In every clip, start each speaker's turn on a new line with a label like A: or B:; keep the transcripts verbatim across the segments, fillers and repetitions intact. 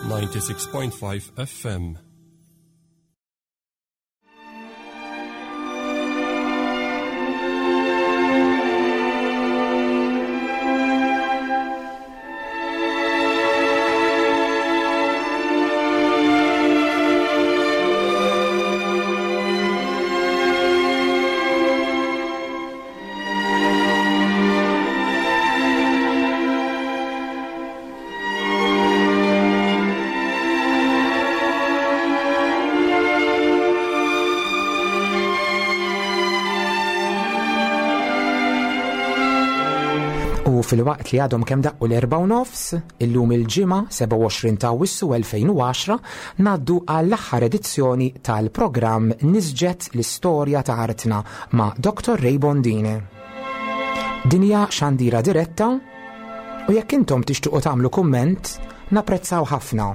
A: ninety-six point five F M.
B: Fil-waqt li għadhom kemm daqqu l-erba' u nofs, illum il-ġimgħa sebgħa u għoxrin ta' Awwissu elfejn u għaxra ngħaddu għall-aħħar edizzjoni tal-programm Nisġet l-Istorja ta' Artna ma' Doktor Ray Bondin. Din hija xandira diretta u jekk intom tixtiequ tagħmlu kumment, napprezzaw ħafna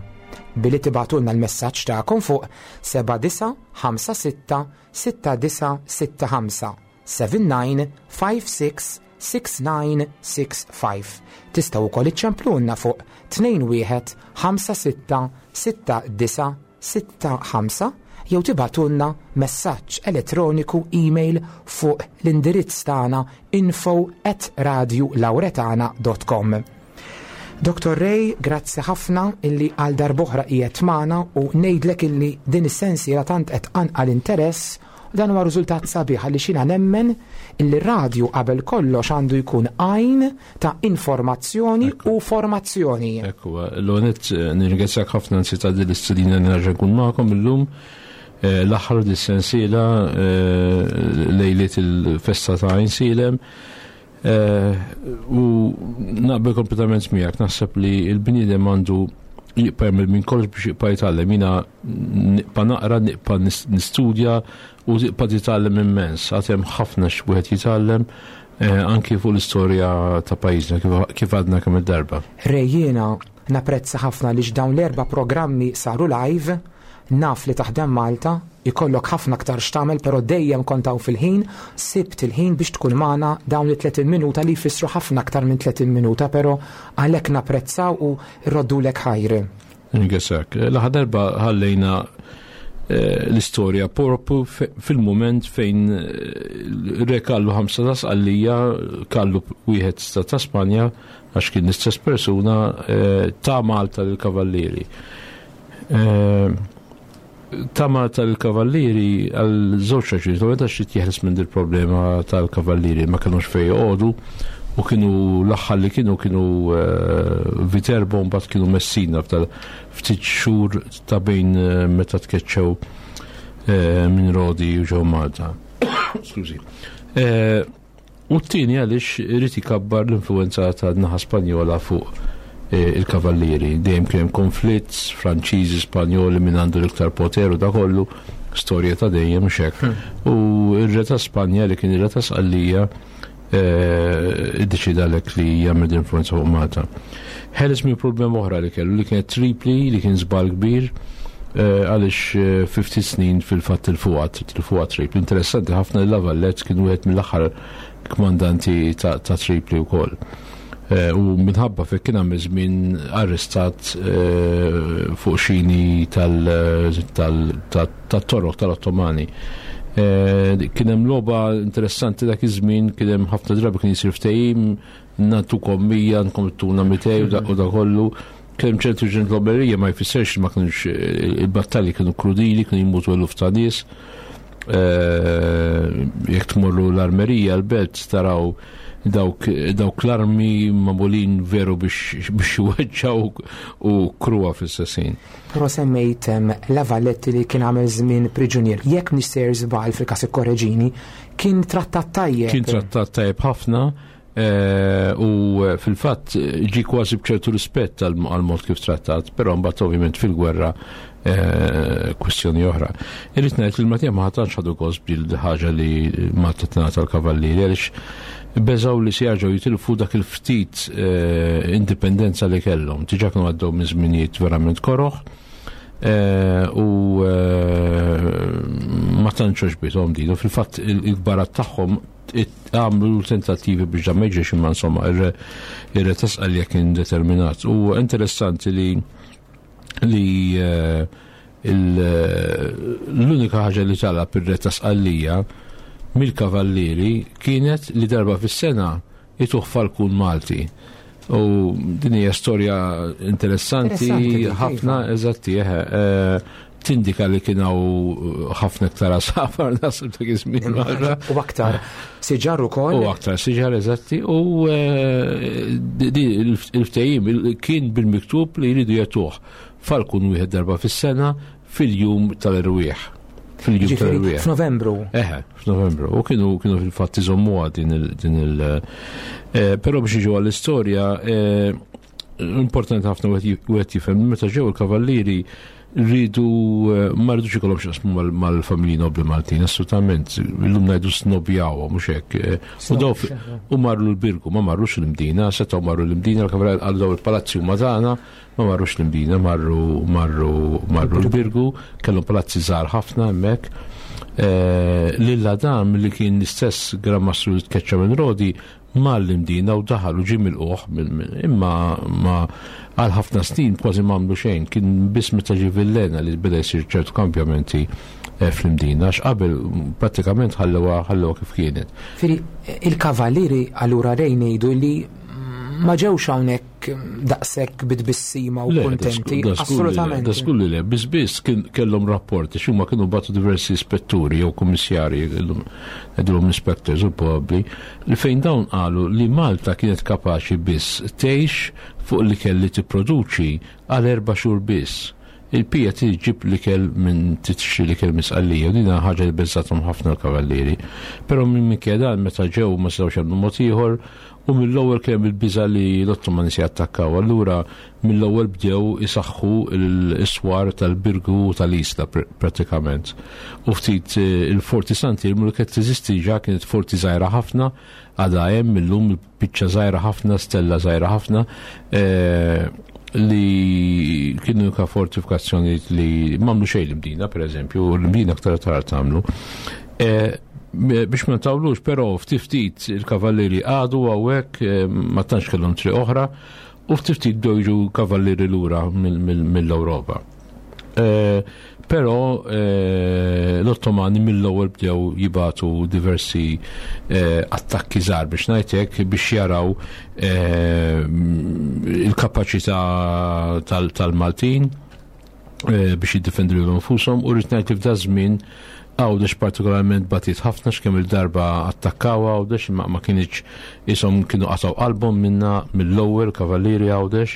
B: billi tibgħatulna l-messaġġ tagħkom fuq seba' disa' ħamsa sitta sitta disa' sitta ħamsa seven nine five six six nine six five. Tistgħu wkoll iċċemplulna fuq tnejn wieħed ħamsa sitta sitta disa' sitta ħamsa jew tibgħatulna messaġġ elettroniku email fuq l-indirizz tagħna info at radio lauretana dot com. Doktor Ray, grazzi ħafna illi għal darb'oħra qiegħed magħna u ngħidlek illi din is-sensiela tant qed tqanqal interess. Dan huwa riżultat sabiħ għaliex jiena nemmen illi r-radju qabel kollox għandu jkun għajn ta' informazzjoni
C: Ekku.
B: u formazzjoni.
C: Ekku, l-għonet nirringrazzjak ħafna nsi ta' din l-istedina nerġa' nkun magħkom illum. Eh, l-aħħar dis-sensiela, eh, lejliet il-festa ta' Għajnsielem. Eh, u naqbel kompletament miegħek, naħseb li l-bniedem għandu jibqa' jagħmel minn kollox biex jibqa' jitgħallem. Jiena nibqa' naqra, nibqa' nis-, nistudja u tibqa' titgħallem immens. Għad hemm ħafna x'wieħed jitgħallem, eh, anki fuq l-istorja ta' pajjiżna kif, kif għadna kemm id-darba.
B: Ray, jiena napprezza ħafna li dawn l-erba' programmi saru live, naf li taħdem Malta, ikollok ħafna aktar x'tagħmel, però dejjem kont hawn fil-ħin, sibt il-ħin biex tkun magħna dawn it-tletin minuta li jfissru ħafna aktar minn tletin minuta, però għalhekk napprezzaw u rroddulek ħajr.
C: Ringrazzjak. L-aħħar darba ħallejna, eh, l-istorja propju fe-, fil-moment fejn, eh, re Kallu ħamsa ta' Sqallija, Kallu wieħed ta', ta' Spanja, għax kien l-istess persuna, eh, ta' Malta lill-Kavallieri. Eh, ta' Malta lill-Kavallieri għal żewġ raġunijiet, u għax trid jeħles minn dil-problema tal-Kavallieri, ma kinux fejn joqogħdu u kienu l-aħħar li kienu, kienu, eh, Viterbo, mbagħad kienu Messina f'tal ftit xhur ta' bejn, eh, meta tkeċċew, eh, minn Rodi u ġew Malta. Skużi. Eh, u t-tieni għaliex irid ikabbar l-influenza ta' naħa Spanjola fuq, eh, il-Kavallieri. Dejjem kien hemm konflitt Franċiżi, Spanjoli minn għandu l-iktar poter u da kollu, storja ta' dejjem mhux hekk.
B: Hmm.
C: U r-re ta' Spanja li kien ir-re ta' Sqallija, eh, iddeċida għalhekk li jagħmel din influenza fuq Malta. Ħeles minn problema oħra li kellu, li kienet Tripli, li kien żball kbir, eh, għaliex, eh, fifty snin fil-fatt il-fuqat, il-fuqat Tripli. Interessanti ħafna li La Valette kien wieħed mill-aħħar kmandanti ta', ta' Tripli wkoll. Eh, u minħabba fek kien hemm żmien arrestat, eh, fuq xini tal-, tal-, tal-, tat-Torok tal-Ottomani. Eh, kien hemm logħba interessanti dak iż-żmien, kien hemm ħafna drabi kien jisir ftehim, nagħtukom mija, nkom tuna mitej u da-, u da kollu. Kien hemm ċertu ġentloberija, ma jfissirx li ma kienux, eh, il-battalji kienu krudili, kienu jmutu eluf ta' nies. Eh, jekk tmorru l-armerija, l-belt, taraw dawk, dawk l-armi magħmulin veru biex, biex iweġġaw u kruha fl-istess ħin.
B: Però semmejt, em, La Valette li kien għamel żmien priġunier. Jekk mhix sejjer żball fil-każ ikkoreġini, kien trattat tajjeb.
C: Kien trattat tajjeb ħafna, eh, u fil-fatt ġie kważi b'ċertu rispett għal, għal mod kif trattat, però mbagħad ovvjament fil-gwerra, eh, kwestjoni oħra. Irrid ngħid li l-Maltija ma tantx ħadu gost bil ħaġa li Malta tingħata l-Kavallieri għaliex beżgħu li se jerġgħu jitilfu dak il-ftit, eh, indipendenza li kellhom. Diġà kienu għaddew minn żminijiet verament koroħ, eh, u, eh, ma tantx għoġbithom din. U fil-fatt il-, il-kbarat tagħhom għamlu tentattivi biex dan ma jiġix, imma insomma, ir-re, ir-re ta' Sqallija kien determinat. U interessanti li li eh, l-unika ħaġa li talab ir-re ta' Sqallija mill-kavallieri kienet li darba fis-sena jtuh falkun Malti. U din hija storja interessanti ħafna, eżatti, eħe, tindika li kien hawn ħafna iktar għasafar nasib dak iż-żmien.
B: U aktar siġar ukoll.
C: U aktar siġar, eżatti, u il-ftehim kien bil-miktub li jridu jagħtuh falkun wieħed darba fis-sena fil-jum tal-erwieħ.
B: Fil-jum tal-erwieħ. F'Novembru.
C: Eħe, f'Novembru. U kienu kienu fil-fatt iżommuha din il- din il però biex jiġu għall-istorja, importanti ħafna wieħed jifhem meta ġew il-kavallieri rridu ma rridux ikollhom x'jaqsmu mal-familji nobli Maltin, assolutament. Illum ngħidu snobjawhom mhux hekk. U daw u marru l-Birgu, ma marrux l-Imdina, setgħu marru l-Imdina, l-kavallieri għal daw il-palazzi huma tagħna, ma marrux l-Imdina, marru marru marru l-Birgu, kellhom palazzi żgħar ħafna hemmhekk. Lil Adam li kien l-istess Gran Mastru li tkeċċa minn Rodi mar l-Imdina u daħal u ġie milquh, imma ma għal ħafna snin kważi m'għamlu xejn, kien biss meta ġie Villena li beda jsir ċertu kampjamenti fl-Imdina, għax qabel prattikament ħallewha ħallewha kif kienet.
B: Firi, il-kavallieri allura rejn ngħidu li ma ġewx hawnhekk daqshekk bit-tbissima u kuntenti, assolutament.
C: Da żgur li le, biss biss kellhom rapporti, x'huma kienu bagħtu diversi ispetturi jew kummissarji, ngħidulhom inspectors u probabbli, li fejn dawn qalu li Malta kienet kapaċi biss tgħix fuq l-ikel li tipproduċi għal erba' xhur biss. Il-pija tiġib l-ikel minn tixtri l-ikel minn Sqallija, u din ħaġa li beżżathom ħafna l-kavallieri. Però minn minkejja dan meta ġew ma setgħux jagħmlu mod ieħor, u mill-ewwel kien hemm il-biża' li l-Ottomani se jattakkaw. Allura mill-ewwel bdew isaħħu l-iswar tal-Birgu u tal-Isla prattikament. U ftit il-Forti Sant'Iermu li kienet teżisti ġa kienet forti żgħira ħafna, għadha hemm illum biċċa żgħira ħafna, stella żgħira ħafna, li kienu ka fortifikazzjoni li m'għamlu xejn l-Imdina, per eżempju, u l-Imdina aktar tard tagħmlu. Biex ma ntawlux, però ftit ftit il-kavallieri għadu hawnhekk, ma tantx kellhom triq oħra, u ftit ftit bdew jiġu kavallieri lura mill-Ewropa. Però l-Ottomani mill-ewwel bdew jibatu diversi attakki żgħar biex ngħid biex jaraw il-kapaċità tal-Maltin biex jiddefendu lilhom infushom, u rrid ngħid li f'da żmien Għawdex partikolarment batit ħafna x'kemm il-darba attakkaw Għawdex, imma ma kienx ishom kienu qatgħu qalbhom minna mill-ewwel kavallieri Għawdex.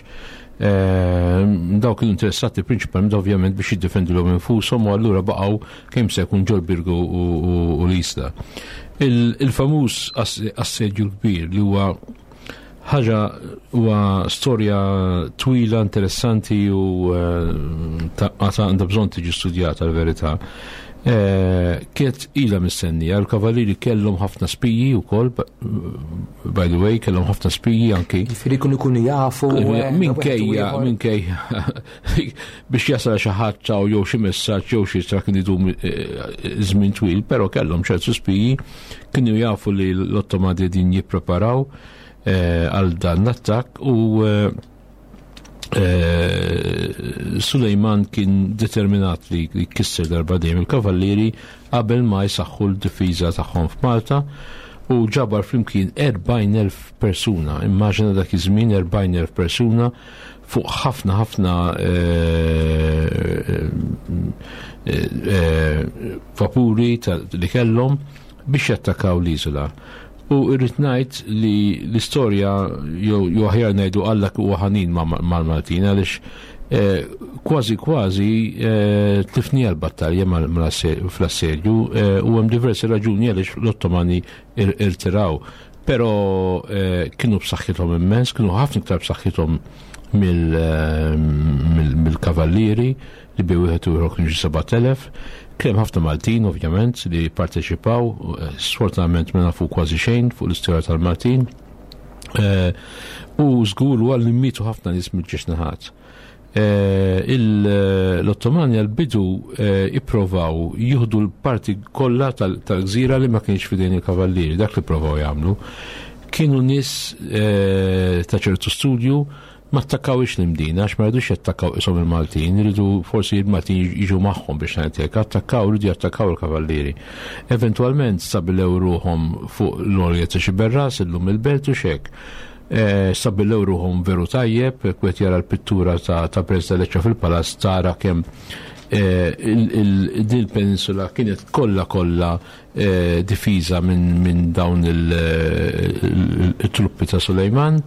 C: Daw kienu interessati prinċipalment ovvjament biex jiddefendu lilhom infushom, u allura baqgħu kemm se jkun ġol Birgu u l-Isla. Il-famuż assedju kbir li huwa ħaġa huwa storja twila, interessanti u għandha bżonn tiġi studjata l-verità. Kienet ilha mistennija, l-kavallieri kellhom ħafna spiji wkoll, by the way, kellhom ħafna spiji anki.
B: Jiġifieri kienu jkunu jafu.
C: Minkejja, minkejja, biex jasal xi ħadd jew xi messaġġ jew xi tra kien idum żmien twil, però kellhom ċertu spiji, kienu jafu li l-Ottomani din jippreparaw għal dan l-attakk, u Sulejman kien determinat li jkisser darba dejjem il-kavallieri qabel ma jsaħħu l-difiża tagħhom f'Malta, u ġabar flimkien erbgħin elf persuna. Immaġina dak iż-żmien erbgħin elf persuna fuq ħafna ħafna vapuri li kellhom biex jattakkaw l-iżola. U irrid ngħid li l-istorja jew aħjar ngħidu Alla huwa ħanin mal-Maltin, għaliex kważi kważi tlifni l-battalja fl-assedju, u hemm diversi raġuni għaliex l-Ottomani irtiraw. Però kienu b'saħħithom immens, kienu ħafna iktar b'saħħithom mill-kavallieri li bi wieħed u ieħor kienu xi sebat elef. Kien ħafna Maltin ovvjament li parteċipaw, sfortunatament ma nafu kważi xejn fuq l-istorja tal-Maltin. U żgur huwa li mietu ħafna nies mill-ġiex naħat. L-Ottomani għal-bidu ipprovaw jieħdu l-parti kollha tal-gżira li ma kienx f'idejn il-kavallieri, dak li provaw jagħmlu. Kienu nies ta' ċertu studju Ma attakkawx l-Imdina, għax ma rridux jattakkaw isom il-Maltin, rridu forsi il-Maltin jiġu magħhom biex ngħidlek, attakkaw, rridu jattakkaw il-kavallieri. Eventwalment stabilew ruħhom fuq l-għolja ta' Xiberras, illum il-Belt u xek. Stabilew ruħhom veru tajjeb, kwet jara l-pittura ta' ta' President Lecce fil-Palazz tara kemm din il-peninsula kienet kollha kollha difiża minn dawn il-truppi ta' Sulejman,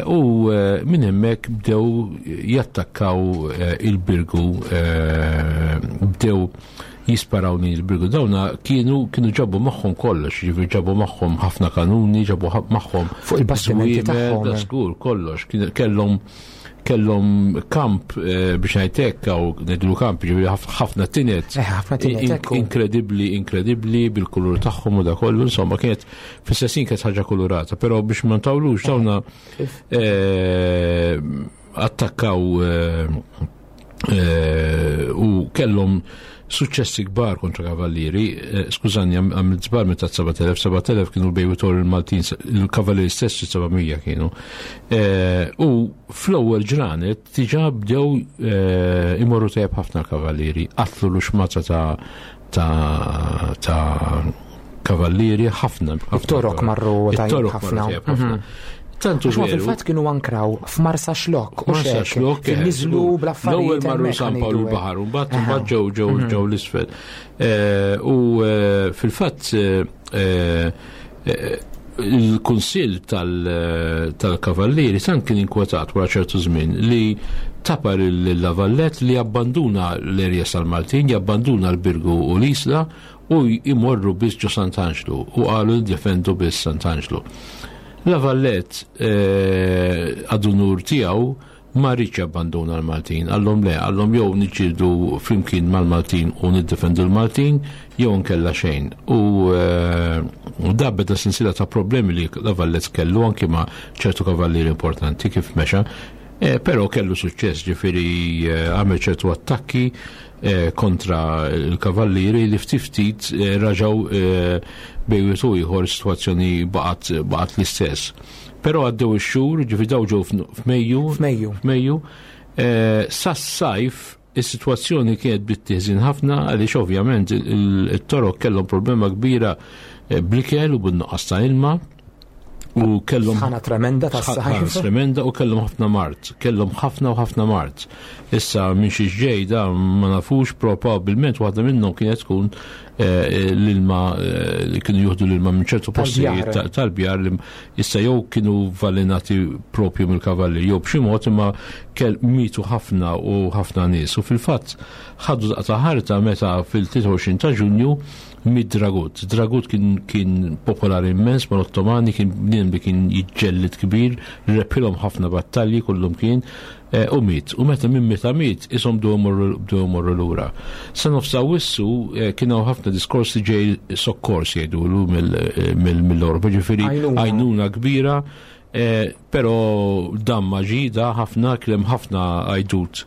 C: u minn hemmhekk bdew jattakkaw il-Birgu, bdew jisparaw lejn il-Birgu. Dawna kienu kienu ġabu magħhom kollox, ġifieri ġabu magħhom ħafna kanuni, ġabu magħhom
B: fuq il-bastimenti tagħhom.
C: Żgur kollox, kellhom kellhom kamp biex ngħidlek hawn ngħidlu kamp, ġifieri ħafna tinet.
B: Ħafna tinet
C: inkredibbli, inkredibbli bil-kulur tagħhom u da kollu, insomma kienet fis-sessin kienet ħaġa kulurata, però biex ma ntawlux dawna attakkaw u kellhom suċċessi kbar kontra kavallieri. Skużani, għamilt żbar meta sebat elef, sebat elef kienu l-bejwitor il-Maltin, il-kavallieri stess seba' mija kienu. U fl-ewwel ġranet diġà bdew imorru tajjeb ħafna kavallieri, qatlu l-uxmata ta' ta' kavallieri ħafna.
B: It-torok marru tajjeb ħafna.
C: Tantu
B: veru. Fil-fatt kienu ankraw f'Marsa Xlokk u xek, niżlu bl-affarijiet.
C: L-ewwel marru San Pawl il-Baħar, u mbagħad mbagħad ġew ġew ġew l-isfel. U fil-fatt il-Kunsill tal-Kavallieri tant kien inkwetat wara ċertu żmien li tapar il-Lavallet li abbanduna l-erja tal-Maltin, jabbanduna l-Birgu u l-Isla u jmorru biss ġo Sant'Anġlu u qalu ndefendu biss Sant'Anġlu. Lavallet għad-unur tiegħu ma rridx jabbanduna l-Maltin, għallhom le, għallhom jew niġġieldu flimkien mal-Maltin u niddefendu l-Maltin jew nkella xejn. U da beda silsila ta' problemi li Lavallet kellu anki ma' ċertu kavallieri importanti kif mexa, però kellu suċċess, ġifieri għamel ċertu attakki kontra l-kavallieri li ftit ftit raġaw bejwietu ieħor, sitwazzjoni baqgħet baqgħet l-istess. Però għaddew ix-xhur, ġifieri daw ġew f'Mejju, f'Mejju, sas-sajf is-sitwazzjoni kienet bit-tieżin ħafna għaliex ovvjament it-torok kellhom problema kbira bl-ikel u bin-nuqqas ta' ilma. U kellhom
B: ħana tremenda tas-sajf.
C: Tremenda u kellhom ħafna mart, kellhom ħafna u ħafna mart. Issa minn xi ġejda ma nafux, probabbilment waħda minnhom kienet tkun l-ilma li kienu juħdu l-ilma minn ċertu postijiet tal-bjar li issa jew kienu valinati propju mill-kavalli jew b'xi mod, imma kell mitu ħafna u ħafna nies. U fil-fatt ħadu daqta ħarta meta fil-tlieta u għoxrin ta' Ġunju mid Dragut. Dragut kien kien popolari immens mal-Ottomani, kien bnien li kien jiġġellid kbir, repilhom ħafna battalji kullum kien, u miet. U meta minn meta miet ishom bdew imorru lura. Sa nofs Awwissu kien hawn ħafna diskorsi ġej sokkors jgħidulu mill-Ewropa, ġifieri għajnuna kbira, però dan ma ġie, da ħafna kien hemm ħafna għajdut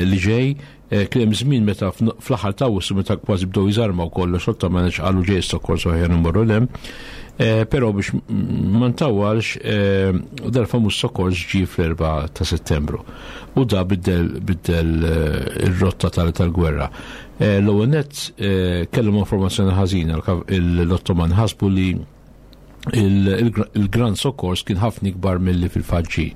C: li ġej. Kien hemm żmien meta fl-aħħar ta' Awwissu meta kważi bdew jiżarmaw kollox, xorta ma nafx qalu ġej sokkors aħjar immorru l hemm. Però biex ma ntawwalx, dal-famuż sokkors ġie fl-erbgħa ta' Settembru u da biddel biddel ir-rotta tal-gwerra. L-ewwel nett kellhom informazzjoni ħażina, l-Ottoman ħasbu li il-Gran Sokkors kien ħafna ikbar milli fil-fatt ġie.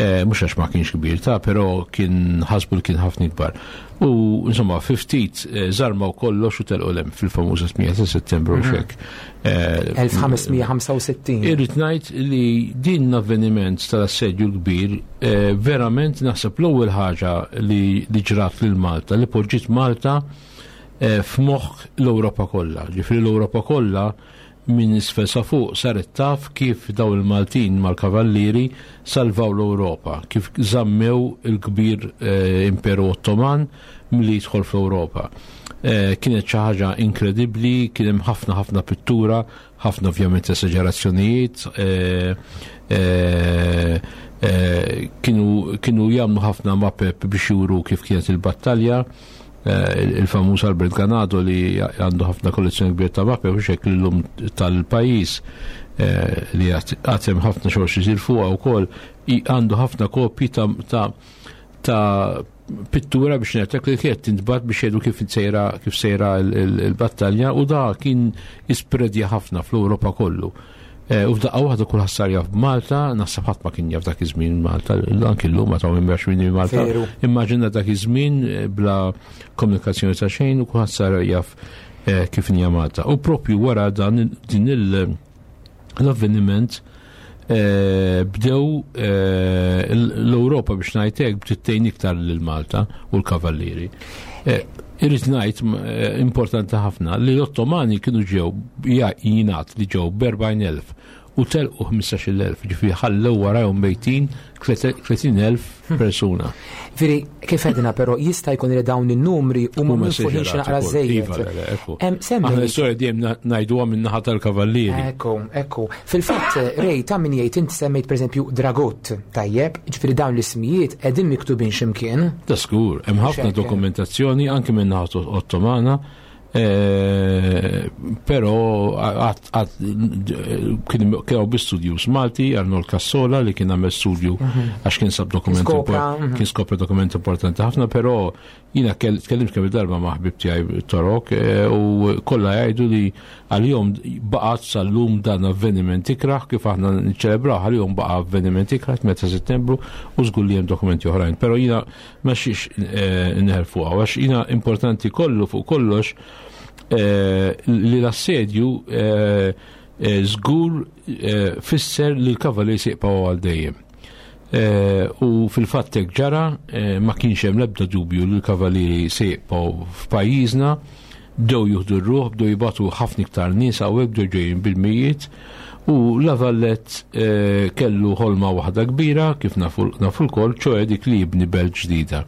C: Mhux għax ma kienx kbir ta', però kien ħasbu li kien ħafna ikbar. U insomma fi ftit żarmaw kollox u telqu hemm fil-famuża tmienja ta' Settembru u xek.
B: elf ħames mija ħamsa u sittin.
C: Irrid ngħid li din l-avveniment tal-assedju l-kbir verament naħseb l-ewwel ħaġa li ġrat lil Malta, li poġġiet Malta f'moħħ l-Ewropa kollha. Ġifieri l-Ewropa kollha minn isfel sa fuq saret taf kif daw il-Maltin mal-kavallieri salvaw l-Ewropa, kif żammew il-kbir Imperu Ottoman milli jidħol fl-Ewropa. Kienet xi ħaġa inkredibbli, kien hemm ħafna ħafna pittura, ħafna ovvjament esagerazzjonijiet, kienu kienu jagħmlu ħafna mapep biex juru kif kienet il-battalja. Il-famuż Albert Ganado li għandu ħafna kollezzjoni kbir ta' mappi u xek l-lum tal-pajjiż li għatem ħafna xogħol xisir fuqha wkoll, għandu ħafna kopji ta' ta' pittura biex ngħidlek li kienet tintbagħat biex jgħidu kif sejra kif sejra l-battalja, u da kien ispredja ħafna fl-Ewropa kollu. U f'daqqa waħda kulħadd sar jaf b'Malta, naħseb ħadd ma kien jaf dak iż-żmien Malta, anki llum ma taw minn minn Malta. Immaġina dak iż-żmien bla komunikazzjoni ta' xejn u kulħadd sar jaf kif hija Malta. U propju wara dan din l-avveniment bdew l-Ewropa biex ngħidlek bdiet tgħin iktar lil Malta u l-Kavallieri. Irrid ngħid importanti ħafna li l-Ottomani kienu ġew jingħad li ġew b'erbgħin elf u telqu ħmistax-il elf, ġifieri ħallew warajhom mejtin tletin elf persuna.
B: Veri, kif edna però jista' jkun li dawn in-numri huma minfuħin xi naqra żejjed.
C: Aħna l-istorja dejjem ngħiduha min-naħa tal-Kavallieri.
B: Ekku, ekku. Fil-fatt, Rej, ta' min jgħid inti semmejt pereżempju Dragot, tajjeb, ġifieri dawn l-ismijiet qegħdin miktubin x'imkien.
C: Ta' skur, hemm ħafna dokumentazzjoni anke min-naħa Ottomana. Però kienu bi studjus Malti, Arnold Cassola li kien għamel studju għax kien sab dokument kien skopra dokument importanti ħafna, però jiena tkellimt kemm darba ma' ħbib tiegħi Torok u kollha jgħidu li għalihom baqgħet sal-lum dan avveniment ikrah kif aħna niċċelebraw, għalihom baqa' avveniment ikrah tmienja ta' Settembru u żgur li hemm dokumenti oħrajn. Però jiena ma xiex neħel fuqha għax jiena importanti kollu fuq kollox li l-assedju żgur fisser li l-kavallieri se jibqgħu għal dejjem. U fil-fatt hekk ġara, ma kienx hemm l-ebda dubju li l-kavallieri se jibqgħu f'pajjiżna, bdew jieħdu r-ruħ, bdew jibgħatu ħafna iktar nies hawnhekk, bdew ġejjin bil-mijiet, u La Vallette kellu ħolma waħda kbira kif nafu lkoll, ċoe dik li jibni belt ġdida.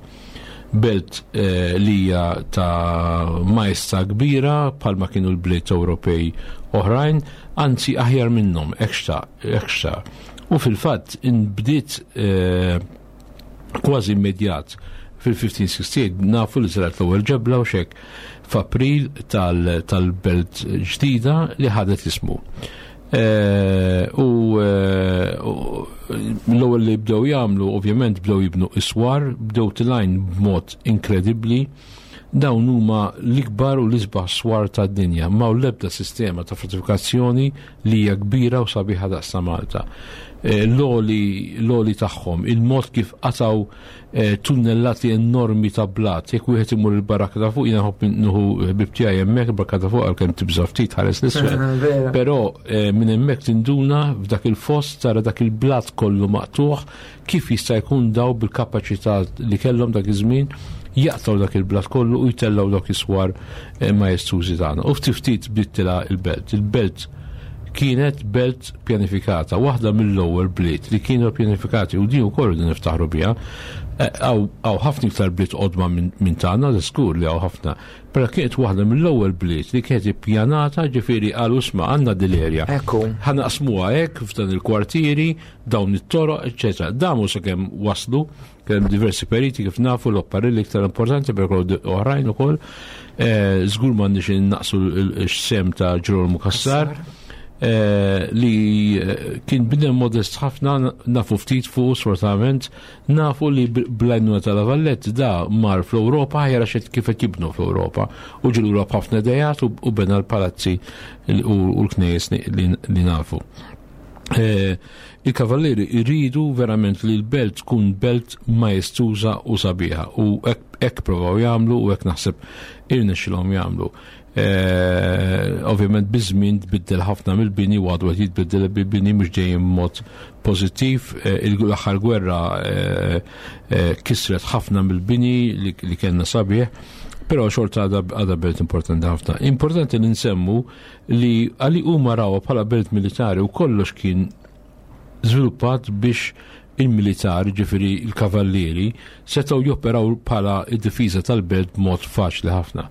C: Belt li hija ta' maestà kbira bħalma kienu l-bliet Ewropej oħrajn, anzi aħjar minnhom, hekk xtaq. U fil-fatt inbdiet kważi immedjat fil-fifteen sixty-eight, nafu li żrat l-ewwel ġebla u xek f'April tal-belt ġdida li ħadet ismu. U l-ewwel li bdew jagħmlu ovvjament bdew jibnu iswar, bdew tilajn b'mod inkredibbli. Dawn huma l-ikbar u l-isbaħ swar tad-dinja, ma l-ebda sistema ta' fortifikazzjoni li hija kbira u sabiħa daqs ta' Malta. L-oli tagħhom, il-mod kif qataw tunnellati enormi ta' blat, jekk wieħed imur il-baraka ta' fuq, jiena nħobb nieħu ħbib tiegħi hemmhekk, il-baraka ta' fuq għalkemm tibża' ftit ħares l-isfel. Però minn hemmhekk tinduna f'dak il-fost tara dak il-blat kollu maqtuħ kif jista' jkun daw bil-kapaċità li kellhom dak iż-żmien jaqtaw dak il-blat kollu u jtellaw dak is-swar majestużi tagħna. U ftit ftit bdiet tilha il-belt. Il-belt kienet belt pjanifikata, waħda mill-ewwel bliet li kienu pjanifikati, u din ukoll din niftaħru biha. Hawn ħafna iktar bliet qodma minn tagħna, żgur li hawn ħafna, però kienet waħda mill-ewwel bliet li kienet ippjanata, ġifieri qalu isma' għandna dil-erja. Ħa naqsmuha hekk f'dan il-kwartieri, dawn it-toroq, eċċetera. Damu sakemm waslu, kien hemm diversi periti kif nafu l-opparelli iktar importanti per oħrajn ukoll. Żgur m'għandniex innaqsu x-sem ta' Ġerolmu Cassar. Li kien bidem modest ħafna, nafu ftit fuq sfortunatament, nafu li bl-għajnuna ta' La Vallette da mar fl-Ewropa, ħajra xed kif qed jibnu fl-Ewropa, u ġilu l-Ewropa ħafna idejat u bena l-palazzi u l-knejjes li nafu. Il-kavallieri jridu verament li l-belt tkun belt majestuża u sabiħa, u hekk provaw jagħmlu u hekk naħseb irnexxilhom jagħmlu. Ovvjament biż-żmien tbiddel ħafna mill-bini u għadu qed jitbiddel bil-bini mhux dejjem mod pożittiv. L-aħħar gwerra kisret ħafna mill-bini li kellna sabiħ, però xorta għadha belt importanti ħafna. Importanti li nsemmu li għali huma rawha bħala belt militari u kollox kien żviluppat biex il-militar, ġifieri il-kavallieri, setgħu joperaw bħala id-difiża tal-belt b'mod faċli ħafna.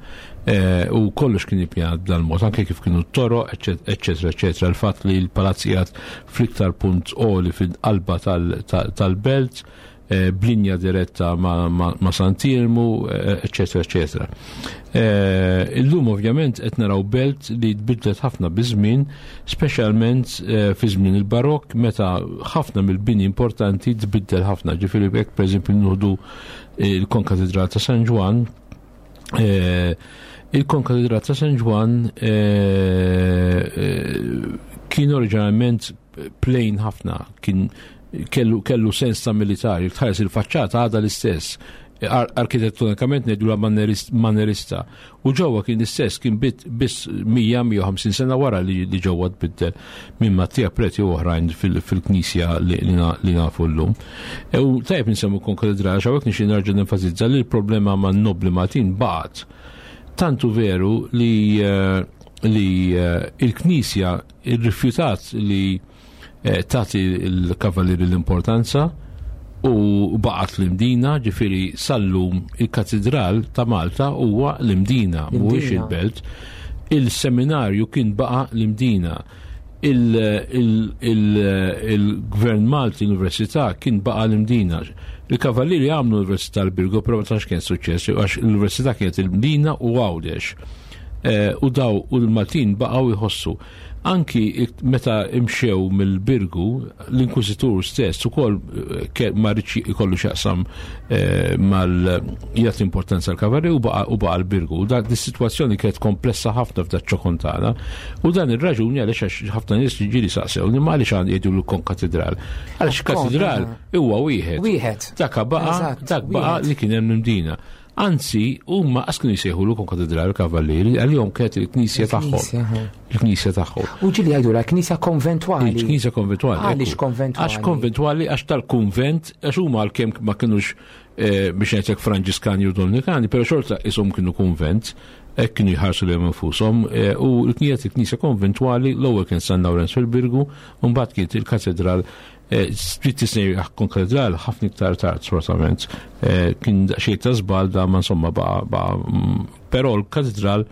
C: U kollox kien ippjanat b'dan mod, anke kif kienu t-toroq, eċċetera, eċċetera. Il-fatt li l-palazz qiegħed fl-iktar punt għoli fil-qalba tal-belt, b'linja diretta ma', ma, ma Sant'Iermu, eċetera, eċetera. Illum ovvjament qed naraw belt li tbidlet ħafna biż-żmien, speċjalment fi żmien il-Barokk, meta ħafna mill-bini importanti tbiddel ħafna. Ġifieri jekk pereżempju nieħdu il-Konkatedral ta' San Ġwann, il-Konkatedral ta' San Ġwann kien oriġinalment plain ħafna, kien kellu, kellu sens ta' militari, tħares il-faċċata għadha l-istess, Ar arkitettonikament ngħidu manerista. U ġewwa kien l-istess, kien bit biss mija mija u ħamsin sena wara li, li ġewwa tbiddel minn Mattia Preti u oħrajn fil-knisja li, li nafu llum. E u tajjeb nsemmu konkatedral, għax hawnhekk nixtieq nerġa' nenfasizza li l-problema man nobli Maltin baqgħet. Tantu veru li, li il-knisja irrifjutat li tagħti l-kavallieri l-importanza u baqgħet l-Imdina, ġifieri sallum il-Katedral ta' Malta huwa l-Imdina, mhuwiex il-belt. Il-seminarju kien baqa' l-Imdina. Il-Gvern Malti, l-Università kien baqa' l-Imdina. Il-Kavallieri għamlu l-Università l-Birgu, però ma tantx kien suċċess, għax l-Università kienet il-Mdina u Għawdex. U daw u l-Maltin baqgħu jħossu. Anki meta imxew mill-Birgu, l-Inkwiżitur stess ukoll ma rridx ikollu x'jaqsam mal jagħti importanza l-kavallieri u baqa' u baqa' l-Birgu. U dak dis-sitwazzjoni kienet komplessa ħafna f'dak ċokontana. U dan ir-raġuni għaliex għax ħafna nies ġieli saqsew li ma għaliex għand jgħidu l-konkatedral. Għaliex katedral huwa wieħed.
B: Wieħed.
C: Dak baqa' dak baqa' li kien hemm l-Imdina. Anzi, huma qas kienu jsejħu l konkatedral kavallieri, għalihom kienet il-knisja tagħhom. Il-knisja tagħhom.
B: U ġieli jgħidu la knisja konventwali.
C: Il-knisja konventwali.
B: Għaliex konventwali?
C: Għax konventwali, għax tal-kunvent, għax huma għalkemm ma kinux biex ngħidlek Franġiskani u Dominikani, però xorta ishom kienu kunvent, hekk kienu jħarsu lejhom infushom, u l-knisja il-knisja konventwali l-ewwel kien San Lawrenz fil-Birgu, u mbagħad kienet il-katedral. Trid tisnej konkatedral ħafna iktar tard sfortunatament. Kien xejn ta' żball da ma insomma baqa', baqa', però l-katedral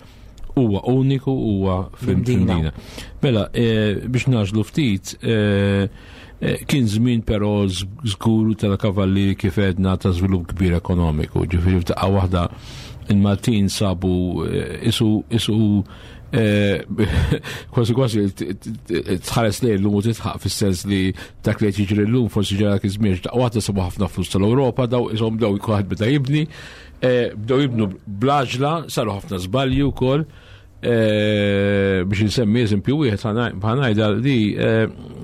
C: huwa uniku, huwa fil-Mdina. Mela, biex naġlu ftit, kien żmien però żgur tal-kavallieri kif għedna ta' żvilupp kbir ekonomiku. Ġifieri f'daqqa waħda il-Maltin sabu isu, isu kważi kważi tħares lejn l-lum u titħaq fis-sens li dak li qed jiġri llum forsi ġara dak iż-żmien, daqqa waħda sabu ħafna flus tal-Ewropa, daw ishom bdew kulħadd beda jibni, bdew jibnu bl-għaġla, saru ħafna żbalji wkoll. Biex insemmi eżempju wieħed ħanajda li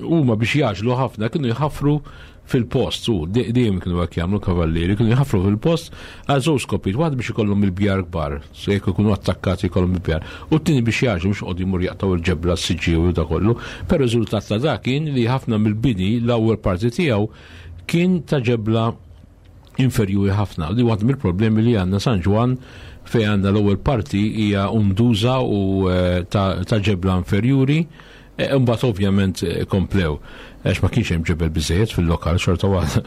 C: huma biex jaġlu ħafna kienu jħaffru fil-post, u dejjem kienu hekk jagħmlu kavallieri, kienu jħaffru fil-post għal żewġ skopijiet, waħda biex ikollhom il-bjar kbar, se jekk ikunu attakkati jkollhom il-bjar, u t-tieni biex jaġlu biex qogħdu jmur jaqtgħu il-ġebla s-siġġiew u da kollu. Però riżultat ta' dak kien li ħafna mill-bini l-ewwel parti tiegħu kien ta' ġebla inferjuri ħafna. Li waħda mill-problemi li għandna San Ġwann fejn għandna l-ewwel parti hija unduża u ta' ġebla inferjuri, imbagħad ovvjament komplew għax ma kienx hemm ġebel biżejjed fil-lokal xorta waħda.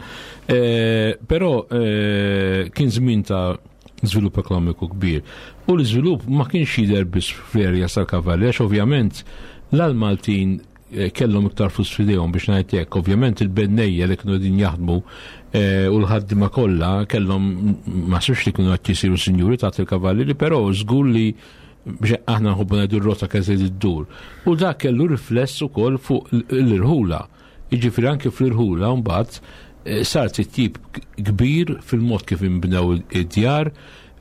C: Però kien żmien ta' żvilupp ekonomiku kbir. U l-iżvilupp ma kienx jidher biss fl-erja tal-Kavalli, għax ovvjament l-Maltin kellhom iktar flus f'idejhom biex ngħid hekk. Ovvjament il-bennejja li kienu qegħdin jaħdmu u l-ħaddiema kollha kellhom ma sux li kienu qed jisiru sinjuri taħt il-kavallieri, però żgur li biex aħna nħobbu ngħidu r-rota kien se ddur. U dak kellu rifless ukoll fuq l-irħula. Jiġifieri anke fl-irħula mbagħad sar titjib kbir fil-mod kif inbnew id-djar,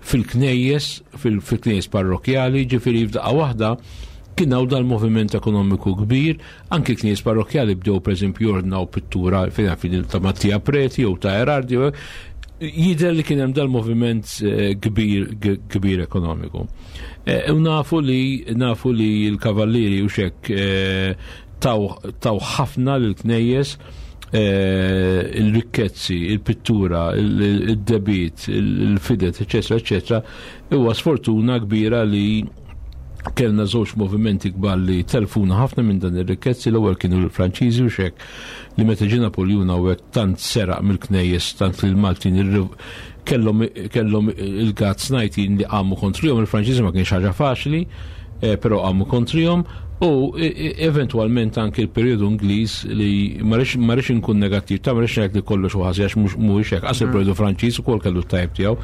C: fil-knejjes, fil-knejjes parrokjali, ġifieri f'daqqa waħda kien hawn dal-moviment ekonomiku kbir, anke knejjes parrokjali bdew pereżempju jordnaw pittura fejn fin ta' Mattia Preti jew ta' Erardi, jidher li kien hemm dal-moviment kbir, kbir ekonomiku. U nafu li, nafu li l-kavallieri u xek taw, taw ħafna lill-knejjes, il-rikkezzi, il-pittura, il-debit, il-fidet, eċetera, eċetera. Huwa sfortuna kbira li kellna żewġ movimenti kbar li telfuna ħafna minn dan ir-rikkezzi. L-ewwel kienu l-Franċiżi u xek li meta ġie Napoljun hawnhekk tant seraq mill-knejjes, tant li l-Maltin kellhom, kellhom il-gazz ngħidin li qamu kontrihom. Il-Franċiżi ma kienx ħaġa faċli, però qamu kontrihom. U eventwalment anke l-perjodu Ingliż li ma rridx inkun negattiv, ta' ma rridx ngħid li kollox hu ħażin għax mhuwiex hekk, qas il-perjodu Franċiż ukoll kellu t-tajb tiegħu,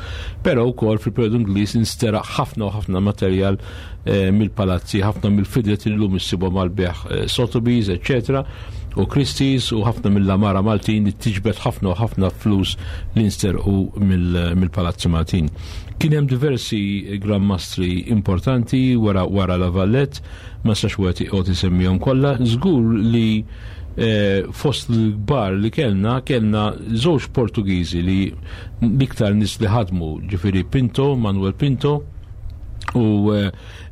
C: però wkoll fil-perjodu Ingliż insteraq ħafna u ħafna materjal mill-palazzi, ħafna mill-fidlet illum issibhom għall-bejgħ Sotheby's, eċċetera, u Christie's, u ħafna mill-amara Maltin li tiġbed ħafna u ħafna flus li nsterqu mill-palazzi Maltin. Kien hemm diversi Gran Mastri importanti wara wara La Valette, ma sax wieħed joqgħod isemmihom kollha, żgur li fost l-kbar li kellna, kellna żewġ Portugiżi li l-iktar nies li ħadmu, ġifieri Pinto, Manuel Pinto u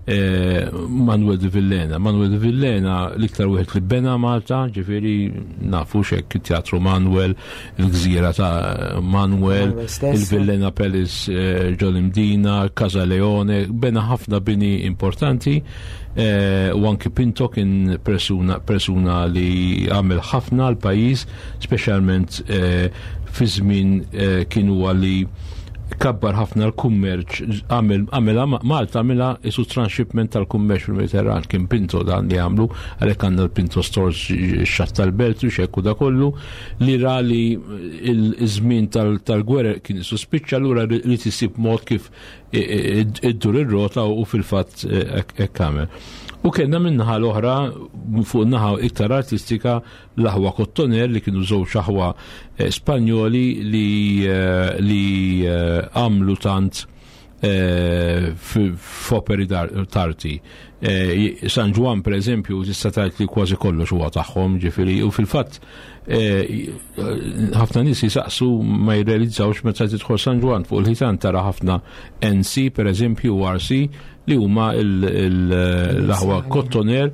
C: Manuel de Villena. Manuel de Villena l-iktar wieħed li bena Malta, ġifieri nafu xek it-Teatru Manuel, il-Gżira ta' Manuel, il-Villena Palace ġol Imdina, Casa Leone, bena ħafna bini importanti, u anki Pinto kien persuna, persuna li għamel ħafna l-pajjiż, speċjalment fi żmien kien huwa li kabbar ħafna l-kummerċ, għamel Malta għamilha isu transshipment tal-kummerċ fil-Mediterran, kien Pinto dan li għamlu, għalhekk għandna l-Pinto Stores xatt tal-Belt u xekku da kollu, li ra li il-żmien tal-gwerra kien isu spiċċa, allura li tisib mod kif iddur ir-rota u fil-fatt hekk għamel. U kellna min-naħa l-oħra, fuq naħa iktar artistika, l-aħwa Kottoner li kienu żewġ aħwa Spanjoli li li għamlu tant f'operi tarti. San Ġwann per eżempju tista' tgħid li kważi kollox huwa tagħhom, ġifieri, u fil-fatt ħafna nies jisaqsu ma jirrealizzawx meta tidħol San Ġwann fuq il-ħitan tara ħafna N C per eżempju u R C li huma l-aħwa Kottoner,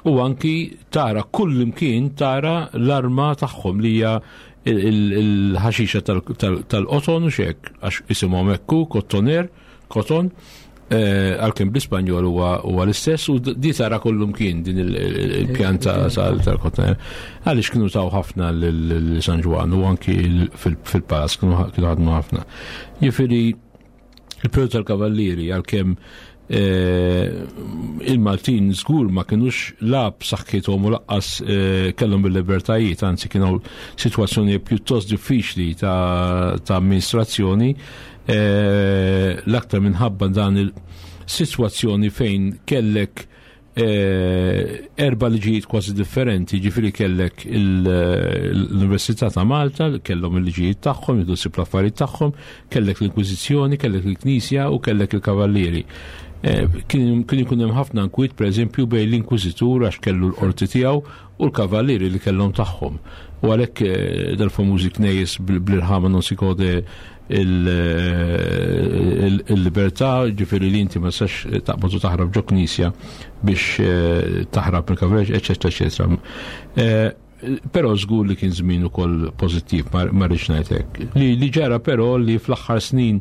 C: u anki tara kull imkien tara l-arma tagħhom li hija il-ħaxixa tal-qoton u xek, għax isimhom hekk Kottoner, Koton, għalkemm bl-Ispanjol huwa l-istess, u di tara kull imkien din il-pjanta tal-Kottoner. Għaliex kienu taw ħafna lil San Ġwann u anki fil-palazz kienu ħadmu ħafna. Jifieri il-perjodu tal-Kavallieri għalkemm il-Maltin żgur ma kinux lab saħħithom u laqqas kellhom bil-libertajiet, anzi kienu sitwazzjoni pjuttost diffiċli ta' amministrazzjoni, l-aktar minħabba dan il-sitwazzjoni fejn kellek erba' liġijiet kważi differenti, ġifieri kellek l-Università ta' Malta, kellhom il-liġijiet tagħhom, jiddu ssib l-affarijiet tagħhom, kellek l-Inkwiżizzjoni, kellek il-Knisja u kellek il-Kavallieri. Kien ikun hemm ħafna nkwiet pereżempju bejn l-Inkwiżitur għax kellu l-qorti tiegħu u l-Kavallieri li kellhom tagħhom. U għalhekk dal-famużi knejjes bl-irħama non si gode il-libertà, ġifieri li inti ma tistax taqbad u taħrab ġo knisja biex taħrab mill-kavallieri, eċetera, eċetera. Però żgur li kien żmien ukoll pożittiv, ma rridx ngħid hekk. Li ġara però li fl-aħħar snin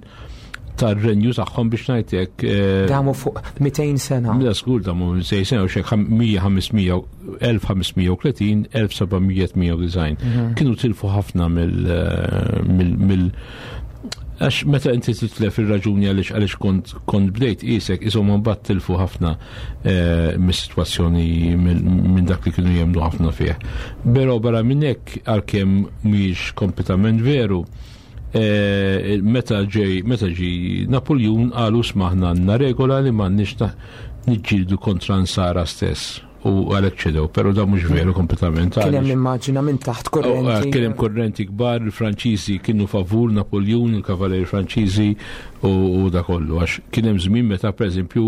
C: tar-renju tagħhom biex ngħid hekk.
B: Damu fuq mitejn sena.
C: La żgur damu mitejn sena u xek mija ħamsmija elf ħamsmija u tletin, elf sebgħamija tmija u disgħin. Kienu tilfu ħafna mill għax meta inti titlef ir-raġuni għaliex għaliex kont kont bdejt qisek ishom mbagħad tilfu ħafna mis-sitwazzjoni minn dak li kienu jemmnu ħafna fih. Però barra minn hekk għalkemm mhijiex kompletament veru, meta ġej meta ġi Napoleon qalu smaħna għandna regola li m'għandniex niġġieldu kontra nsara stess. U għalhekk ċedew, però da mhux veru kompletament.
B: Kien hemm immaġina minn taħt kurrenti.
C: Kien hemm kurrenti kbar, il-Franċiżi kienu favur Napoleon, il-Kavaleri Franċiżi u da kollu. Għax kien hemm żmien meta pereżempju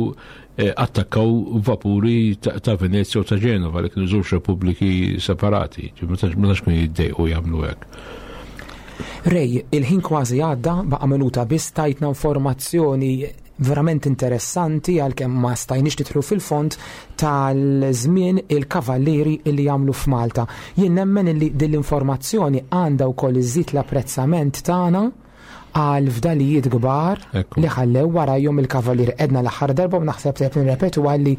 C: attakkaw vapuri ta' Venezia u ta' Ġenova li kienu żewġ repubbliki separati. Ma tantx kienu jiddejqu jagħmlu hekk.
B: Ray, il-ħin kważi għadda, baqa' minuta biss, tajtna informazzjoni verament interessanti għalkemm ma stajniex nidħlu fil-fond tal-żmien il-kavallieri li jagħmlu f'Malta. Jien nemmen li din l-informazzjoni għandha wkoll iżżid l-apprezzament tagħna għal fdalijiet kbar li ħallew warajhom il-kavallieri. Edna l-aħħar darba u naħseb se nirrepetu għalli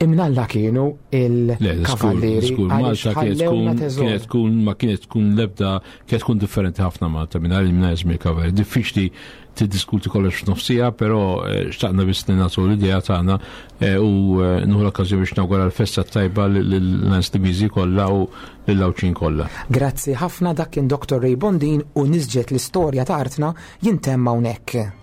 B: Imnalla kienu il-kavallieri.
C: Malta kienet tkun ma kienet tkun lebda, kienet tkun differenti ħafna Malta mingħajr mingħajr żmien kavallieri. Diffiċli tiddiskuti kollox f'nofsija, però eh, xtaqna biss nagħtu l-idea tagħna eh, u eh, nieħu l-okkażjoni biex nawgura l-festa tajba lil-Slimiżi kollha u lill-Għawdxin kollha.
B: Grazzi ħafna. Dak kien Doktor Ray Bondin u Nisġet l-Istorja ta' Artna jintemm hawnhekk.